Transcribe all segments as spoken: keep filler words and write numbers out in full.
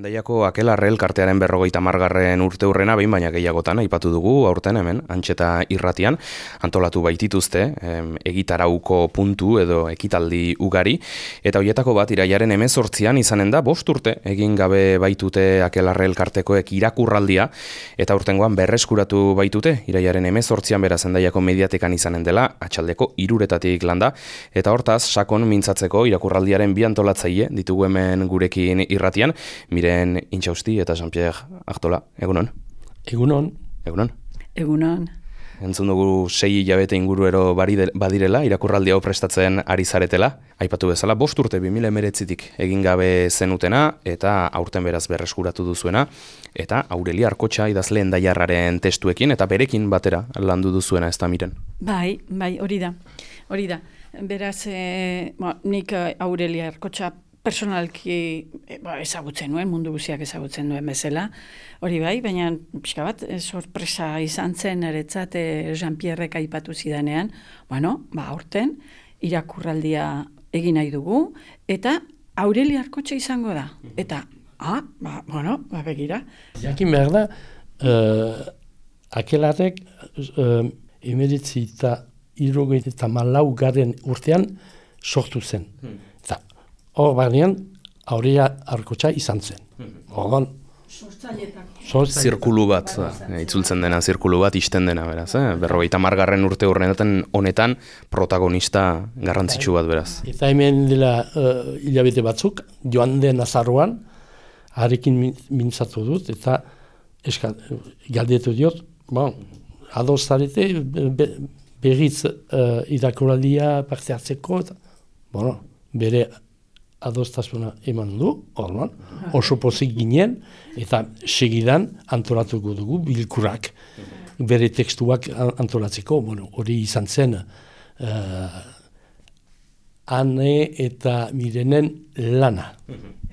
Hendaiako Akelarre elkartearen berrogeita hamargarren urte hurrena behin baina gehiagotan aipatu dugu aurten hemen Antxeta irratian antolatu baitituzte em, egitarauko puntu edo ekitaldi ugari eta hoietako bat iraiaren hemezortzian izanen da bost urte egin gabe baitute Akelarre elkartekoek irakurraldia eta urtengoan berreskuratu baitute iraiaren hemezortzian beraz Hendaiako mediatekan izanen dela atxaldeko hiruretatik landa eta hortaz sakon mintzatzeko irakurraldiaren bi antolatzaile ditugu hemen gurekin irratian. Miren Intxausti eta Jean-Pierre Artola, egunon? Egunon. Egunon? Egunon. Entzun dugu sei hilabete inguruero badirela, irakurraldi hau prestatzen ari zaretela. Aipatu bezala, bost urte bi mila hemeretzitik egin gabe zenutena eta aurten beraz berreskuratu duzuena. Eta Aurelia Arkotxa idazle Hendaiarraren testuekin eta berekin batera landu duzuena ez da Miren. Bai, bai, hori da. Hori da. Beraz, e, ba, nik Aurelia Arkotxa personalki e, ba, ezagutzen nuen, mundu guziak ezagutzen duen bezala, hori bai, baina pixka bat, e, sorpresa izan zen eretzat e, Jean-Pierrek aipatu zidanean, bueno, ba, aurten, irakurraldia egin nahi dugu, eta Aurelia Arkotxa izango da, eta, ah, ba, bueno, ba, begira. Jakin behar da, uh, Akelarrek uh, emeritzi eta irrogeita eta malau garen urtean sortu zen. Hmm. Hor banean, Aurelia Arkotxa izan zen. Orduan, zirkulu bat, itzultzen dena zirkulu bat, isten dena, beraz. Eh? Berrogeita hamargarren urte horrenetan honetan protagonista garrantzitsu bat, beraz. Eta hemen dela uh, hilabete batzuk, joan den azaroan, harekin mintzatu dut, eta eska, galdetu diot, bon, ados zarete, be, berriz uh, irakuraldia parte hartzeko, eta, bueno, bere adostasuna eman du, orduan, oso pozik ginen, eta segidan antolatuko dugu bilkurak, bere tekstuak antolatzeko, bueno, hori izan zen, uh, Ane eta Mirenen lana.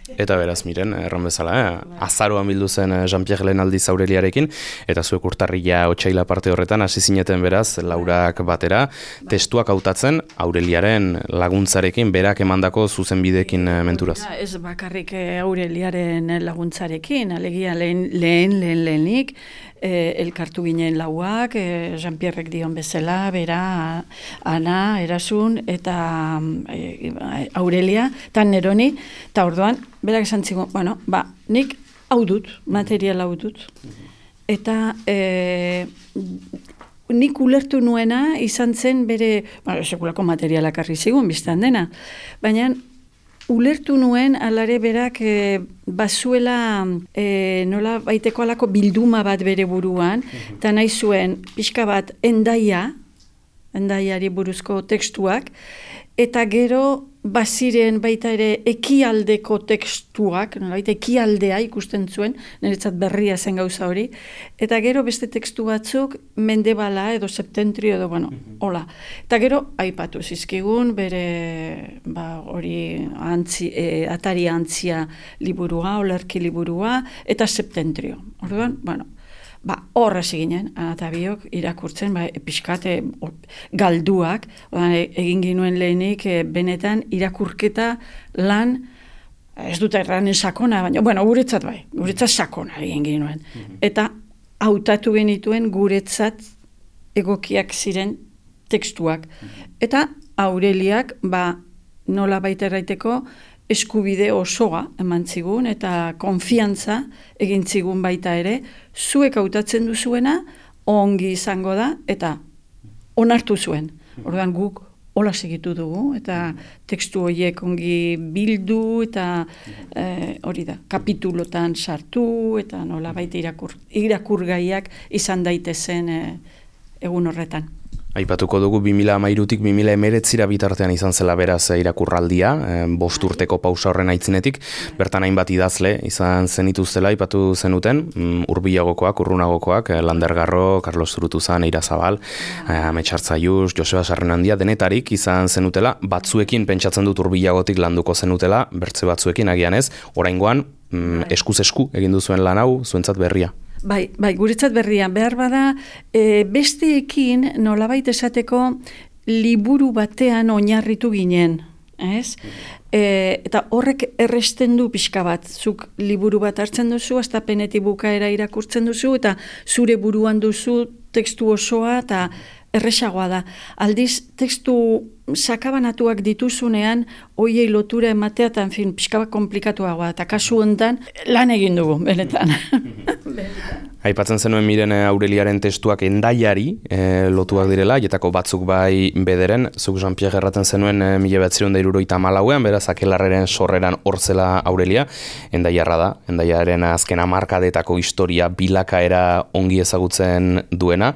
Eta beraz, Miren, erran bezala, eh? azaroan bildu zen Jean-Pierre lehen aldiz Aureliarekin, eta zuek urtarrila otsaila parte horretan hasi zineten beraz, laurak batera, testuak hautatzen Aureliaren laguntzarekin, berak emandako zuzenbideekin menturaz. Ez bakarrik Aureliaren laguntzarekin, alegia lehen, lehen, lehen, lehenik, eh, elkartu ginen lauak, eh, Jean-Pierrek dion bezala, bera, Ana, Erasun, eta eh, Aurelia, eta Neroni, eta orduan, berak esan zigun, bueno, ba, nik hau dut, material hau dut. Eta e, nik ulertu nuena izan zen bere, bueno, sekulako materialak arri zigun, biztan dena. Baina ulertu nuen alare berak e, bazuela e, nola baiteko alako bilduma bat bere buruan, eta nahi zuen pixka bat endaia, endaiari buruzko tekstuak, eta gero baziren baita ere ekialdeko tekstuak, nolabait ekialdea ikusten zuen, niretzat berria zen gauza hori, eta gero beste tekstu batzuk mendebala edo septentrio edo, bueno, hola. Eta gero aipatu zizkigun bere ba, hori antzi, e, atari antzia liburua, olerki liburua, eta septentrio. Orduan, bueno, ba, horra ziginen, eta biok irakurtzen, ba, pixkate galduak, ba, egin ginuen lehenik, e, benetan irakurketa lan, ez dut erranen sakona, baina, bueno, guretzat bai, guretzat sakona egin ginuen. Mm-hmm. Eta hautatu genituen guretzat egokiak ziren tekstuak. Mm-hmm. Eta Aureliak, ba, nola baita erraiteko, eskubide osoa eman zigun eta konfiantza egin zigun baita ere, zuek hautatzen duzuena ongi izango da eta onartu zuen. Orduan guk hola segitu dugu eta tekstu horiek ongi bildu eta eh, hori da, kapitulotan sartu eta nola baita irakur, irakurgaiak izan daitezen eh, egun horretan. Aipatuko dugu bi mila hamairutik bi mila hemeretzira bitartean izan zela beraz irakurraldia, bost urteko pausa horren aitzinetik, bertan hainbat idazle izan zenituztela aipatu zenuten, hurbilagokoak, urrunagokoak, Lander Garro, Carlos Zurutuzan, Eira Zabal, Amets Hartzaius, Joseba Sarrenandia, denetarik izan zenutela, batzuekin pentsatzen dut hurbilagotik landuko zenutela, bertze batzuekin agian ez, oraingoan mm, eskuz esku egin duzuen lan hau, zuentzat berria. Bai, bai, guretzat berria, behar bada, e, besteekin nolabait esateko liburu batean oinarritu ginen. ez? E, eta horrek erresten du pixka bat, zuk liburu bat hartzen duzu, hastapenetik bukaera irakurtzen duzu, eta zure buruan duzu tekstu osoa, eta erresagoa da. Aldiz, tekstu sakabanatuak dituzunean, hoiei lotura ematea, eta, en fin, pixka bat komplikatuagoa, eta kasu hontan lan egin dugu, benetan. Aipatzen zenuen Miren Aureliaren testuak endaiari e, lotuak direla, jetako batzuk bai bederen, zuk Jean-Pierre erraten zenuen e, mila bederatziehun eta hirurogeita hamalauean, beraz Akelarraren sorreran horzela Aurelia, endaiarra da, endaiaren azken hamarkadetako historia bilakaera ongi ezagutzen duena,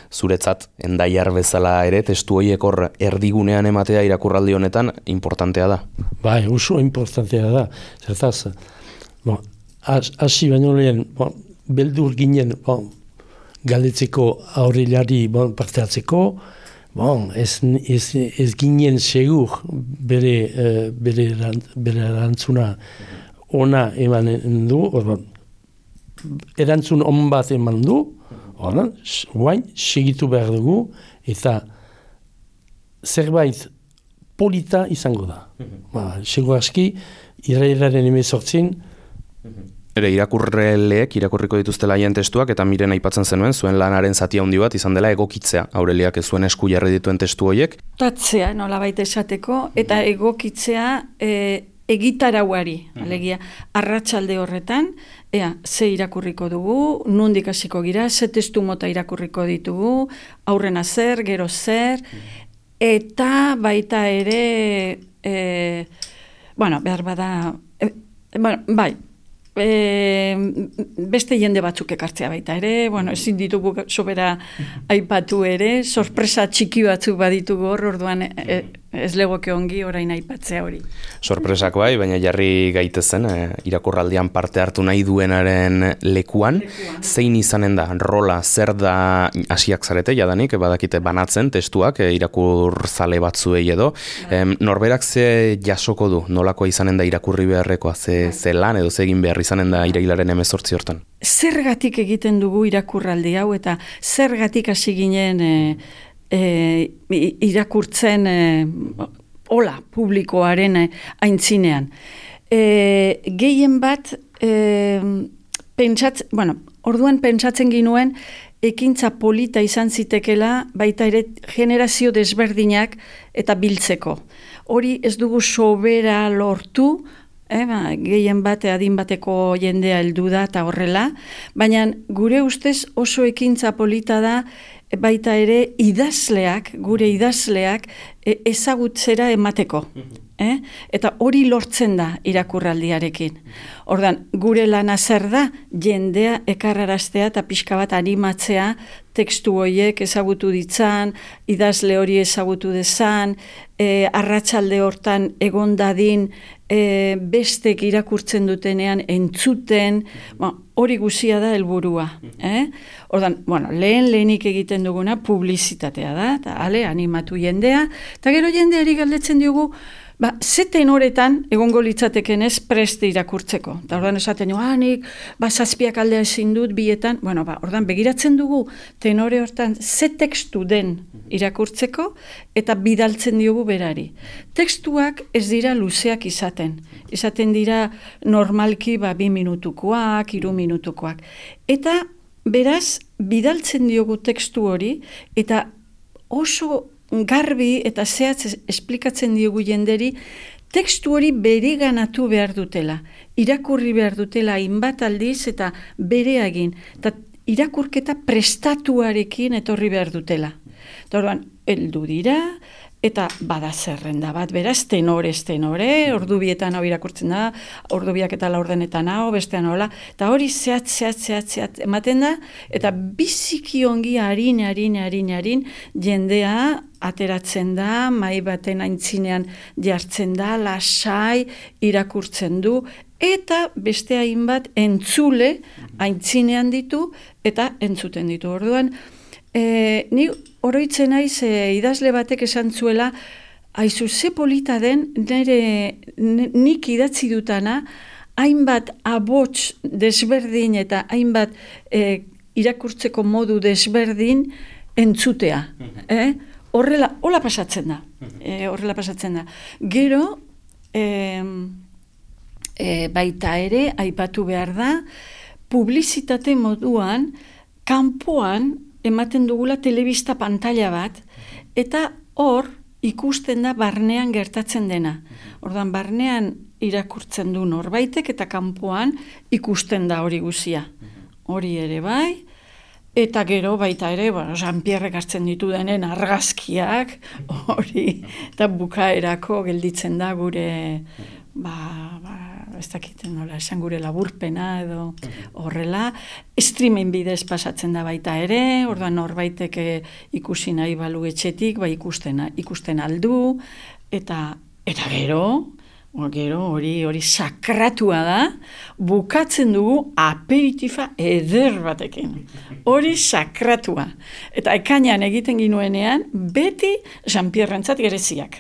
zuretzat endaiar bezala ere testu horiek hor erdigunean ematea irakurraldi honetan importantea da. Bai, oso importantea da. Zertaz, bon, hasi baino lehen, bon, beldur ginen bon, galdetzeko Aureliari bon, parte hartzeko, bon, ez, ez, ez ginen segur bere, uh, bere, bere erantzuna ona eman du, orban, erantzun on bat eman du, orban, guain, segitu behar dugu, eta zerbait polita izango da. Mm-hmm. Ba, segur aski, irailaren emezortzin, mm-hmm. Ere irakurreleek irakurriko dituztela haien testuak eta Miren aipatzen zenuen zuen lanaren zati handi bat izan dela egokitzea Aureliak ez zuen esku jarri dituen testu horiek. Tatzea, nolabait esateko, eta egokitzea e, egitarauari, alegia, arratsalde horretan, ea, ze irakurriko dugu, nondik hasiko gira, ze testu mota irakurriko ditugu, aurrena zer, gero zer, eta baita ere, e, bueno, behar bada, e, bueno, bai, E, beste jende batzuk ekartzea baita ere, bueno, ezin ditugu sobera aipatu ere, sorpresa txiki batzuk baditugu hor, orduan e, ez legoke ongi orain aipatzea hori. Sorpresak bai, baina jarri gaitezen, e, irakurraldian parte hartu nahi duenaren lekuan, lekuan. Zein izanen da, rola, zer da hasiak zarete, jadanik, badakite banatzen testuak, e, irakurzale batzuei edo, e, norberak ze jasoko du, nolakoa izanen da irakurri beharrekoa, ze, ze lan edo ze egin behar izanen da irailaren hemezortzi hortan. Zergatik egiten dugu irakurraldi hau eta zergatik hasi ginen e, e, irakurtzen e, ola publikoaren e, aintzinean. E, gehien bat e, pentsatz, bueno, orduan pentsatzen ginuen ekintza polita izan zitekela baita ere generazio desberdinak eta biltzeko. Hori ez dugu sobera lortu, Eh, ba, gehien bate adin bateko jendea heldu da eta horrela, baina gure ustez oso ekintza polita da baita ere idazleak, gure idazleak e, ezagutzera emateko. Eh? Eta hori lortzen da irakurraldiarekin. Ordan, gure lana zer da, jendea ekarraraztea eta pixka bat animatzea tekstu horiek ezagutu ditzan, idazle hori ezagutu dezan, e, arratsalde hortan egon dadin e, bestek irakurtzen dutenean entzuten, ba, hori guzia da helburua. Eh? Ordan, bueno, lehen lehenik egiten duguna publizitatea da, eta ale, animatu jendea, eta gero jendeari galdetzen diogu, ba, ze tenoretan egongo litzateken ez preste irakurtzeko. Eta ordan esaten dugu, ah, nik, ba, zazpiak aldea ezin dut bietan, bueno, ba, ordan begiratzen dugu tenore hortan ze tekstu den irakurtzeko eta bidaltzen diogu berari. Tekstuak ez dira luzeak izaten. Izaten dira normalki ba, bi minutukoak, hiru minutukoak. Eta beraz, bidaltzen diogu tekstu hori eta oso garbi eta zehatz esplikatzen diogu jenderi, tekstu hori bereganatu behar dutela, irakurri behar dutela hainbat aldiz eta bere egin, eta irakurketa prestatuarekin etorri behar dutela. Eta orduan, heldu dira, eta bada zerrenda bat, beraz, tenore, tenore, ordu bietan hau irakurtzen da, ordu biak eta laurdenetan hau, bestean hola, eta hori zehat, zehat, zehat, zehat ematen da, eta biziki ongi harin, harin, harin, harin, jendea ateratzen da, mai baten aintzinean jartzen da, lasai, irakurtzen du, eta beste hainbat entzule aintzinean ditu, eta entzuten ditu. Orduan, E, ni oroitzen naiz e, idazle batek esan zuela, aizu ze polita den nire nik idatzi dutana, hainbat abots desberdin eta hainbat e, irakurtzeko modu desberdin entzutea. Eh? Horrela, hola pasatzen da. E, horrela pasatzen da. Gero, e, e, baita ere, aipatu behar da, publizitate moduan, kanpoan ematen dugula telebista pantalla bat, eta hor ikusten da barnean gertatzen dena. Ordan barnean irakurtzen du norbaitek eta kanpoan ikusten da hori guzia. Hori ere bai, eta gero baita ere, bueno, Jean-Pierrek hartzen ditu denen argazkiak, hori, eta bukaerako gelditzen da gure, ba, ba, ez dakiten nola, esan gure laburpena edo horrela, streaming bidez pasatzen da baita ere, orduan norbaitek ikusi nahi balu etxetik, ba ikusten, ikusten aldu, eta, eta gero, Gero hori hori sakratua da, bukatzen dugu aperitifa eder batekin. Hori sakratua. Eta ekainean egiten ginuenean, beti Jean-Pierrentzat gereziak.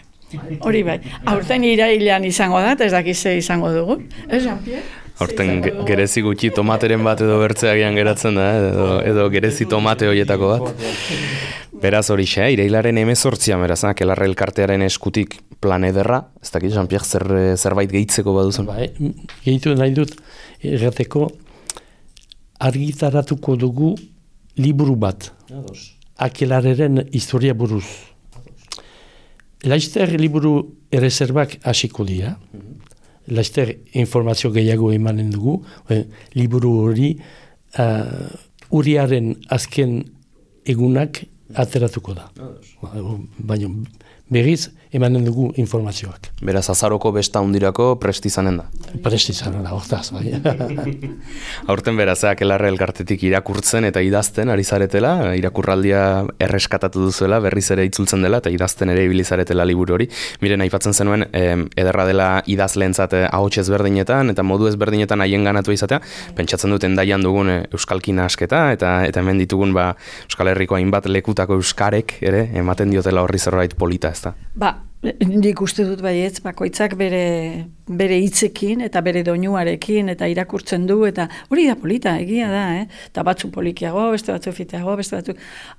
Hori bai. Aurten irailean izango da, eta ez dakize izango dugu. Ez, Jean-Pierre? Aurten gerezi gutxi tomateren bat edo bertzeagian geratzen da, edo, edo gerezi tomate horietako bat. Beraz hori xe, irailaren hemezortzian beraz, Akelarre elkartearen eskutik plan ederra, ez dakit, Jean-Pierre, zer, zerbait gehitzeko baduzun? Bai, gehitu nahi dut, errateko, argitaratuko dugu liburu bat, Akelarreren historia buruz. Laster liburu errezerbak hasiko dira, laster informazio gehiago emanen dugu, liburu hori uh, uriaren azken egunak ateratuko da. Baina berriz emanen dugu informazioak. Beraz, azaroko besta hundirako presti izanen da. Presti izanen da, hortaz, bai. Aurten beraz, Akelarre elkartetik irakurtzen eta idazten ari zaretela, irakurraldia erreskatatu duzuela, berriz ere itzultzen dela, eta idazten ere ibili zaretela liburu hori. Miren, aipatzen zenuen, eh, ederra dela idazleentzat ahots ezberdinetan, eta modu ezberdinetan haien ganatu izatea, pentsatzen dut endaian dugun euskalkin asketa, eta, eta hemen ditugun ba, Euskal Herriko hainbat lekutako euskarek, ere, ematen diotela horri zerbait polita, ez da? Ba, nik uste dut baietz, bakoitzak bere, bere hitzekin eta bere doinuarekin eta irakurtzen du, eta hori da polita, egia da, eh? Eta batzu polikiago, beste batzu fiteago, beste batzu...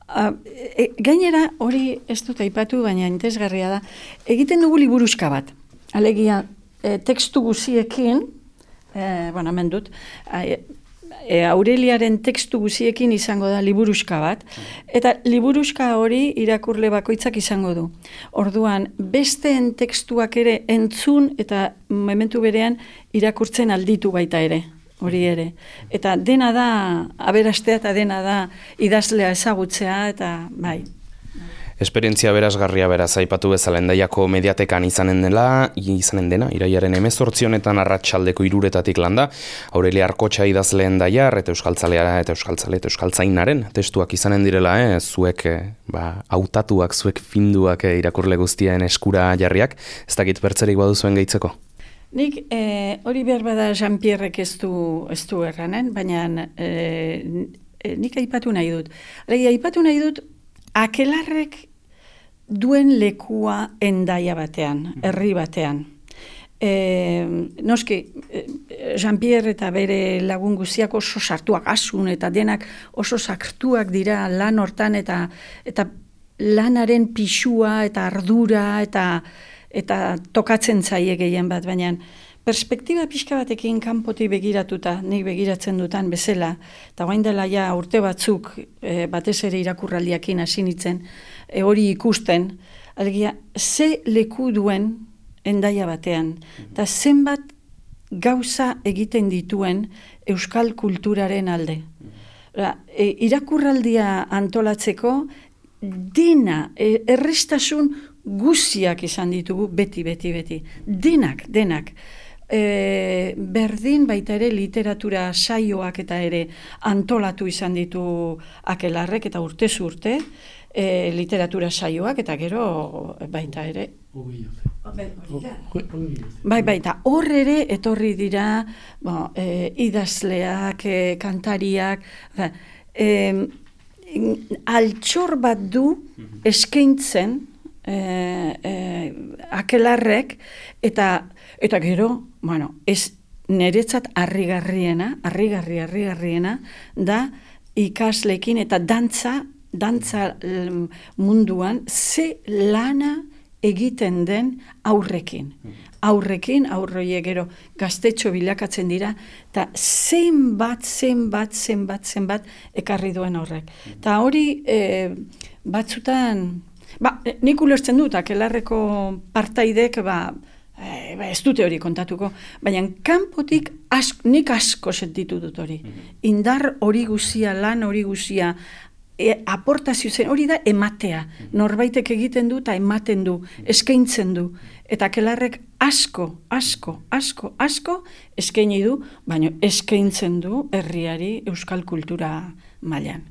Uh, e, gainera, hori ez dut aipatu, baina interesgarria da, egiten dugu liburuska bat. Alegia, e, tekstu guziekin, e, bueno, hemen dut, e, E, Aureliaren tekstu guziekin izango da liburuska bat, eta liburuska hori irakurle bakoitzak izango du. Orduan, besteen tekstuak ere entzun eta momentu berean irakurtzen alditu baita ere, hori ere. Eta dena da, aberastea eta dena da idazlea ezagutzea, eta bai. Esperientzia berazgarria beraz aipatu bezala Hendaiako mediatekan izanen dela, izanen dena, iraiaren hemezortzi honetan arratsaldeko hiruretatik landa, Aurelia Arkotxa idazle Hendaiar eta euskaltzalea eta euskaltzale eta euskaltzainaren testuak izanen direla, eh, zuek eh, ba, hautatuak, zuek finduak eh, irakurle guztien eskura jarriak, ez dakit bertzerik baduzuen gehitzeko? Nik eh, hori behar bada Jean-Pierrek ez du, ez du erranen, baina eh, nik aipatu nahi dut. Alegia, aipatu nahi dut Akelarrek duen lekua Hendaia batean, herri batean. E, noski, Jean-Pierre eta bere lagun guztiak oso sartuak asun eta denak oso sartuak dira lan hortan eta, eta lanaren pixua eta ardura eta, eta tokatzen zaie gehien bat, baina perspektiba pixka batekin kanpotik begiratuta, nik begiratzen dutan bezala, eta guain dela ja urte batzuk e, batez ere irakurraldiakin hasi nintzen, e, hori ikusten, alegia, ze leku duen Hendaia batean, eta zenbat gauza egiten dituen euskal kulturaren alde. E, irakurraldia antolatzeko, dena, e, errestasun guziak izan ditugu, beti, beti, beti. Denak, denak. E, berdin baita ere literatura saioak eta ere antolatu izan ditu Akelarrek eta urtez urte e, literatura saioak eta gero baita ere bai baita hor ere etorri dira bo, e, idazleak, e, kantariak e, altxor bat du eskaintzen e, e, Akelarrek eta Eta gero, bueno, ez niretzat harrigarriena, harrigarri, harrigarriena, da ikasleekin eta dantza, dantza munduan, ze lana egiten den aurrekin. Aurrekin, aurroie gero gaztetxo bilakatzen dira, eta zenbat, zenbat, zenbat, zenbat ekarri duen horrek. Eta hori e, batzutan, ba, nik ulertzen dut, akelarreko partaidek, ba, e, ba, ez dute hori kontatuko, baina kanpotik ask, nik asko sentitu dut hori. Indar hori guzia, lan hori guzia, E, aportazio zen, hori da ematea. Norbaitek egiten du eta ematen du, eskaintzen du. Eta Akelarrek asko, asko, asko, asko eskaini du, baina eskaintzen du herriari euskal kultura mailan.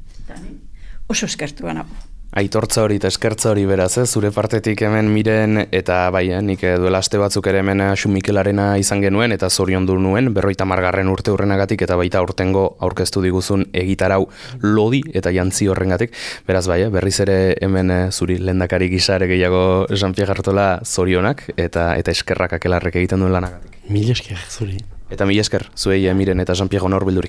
Oso eskertua nago. Aitortza hori eta eskertza hori beraz, eh? Zure partetik hemen Miren, eta bai, eh? nik duela aste batzuk ere hemen Xu Mikelarena izan genuen, eta zoriondu nuen, berroita margarren urte hurrenagatik, eta baita aurtengo aurkeztu diguzun egitarau lodi eta jantzi horrengatik. Beraz bai, eh? berriz ere hemen eh, zuri lehendakari gisa ere gehiago Jean-Pierre Artola zorionak, eta eta eskerrak Akelarrek egiten duen lanagatik. Mil esker zuri. Eta mil esker, zuei eh, Miren eta Jean-Pierre honor bildurik.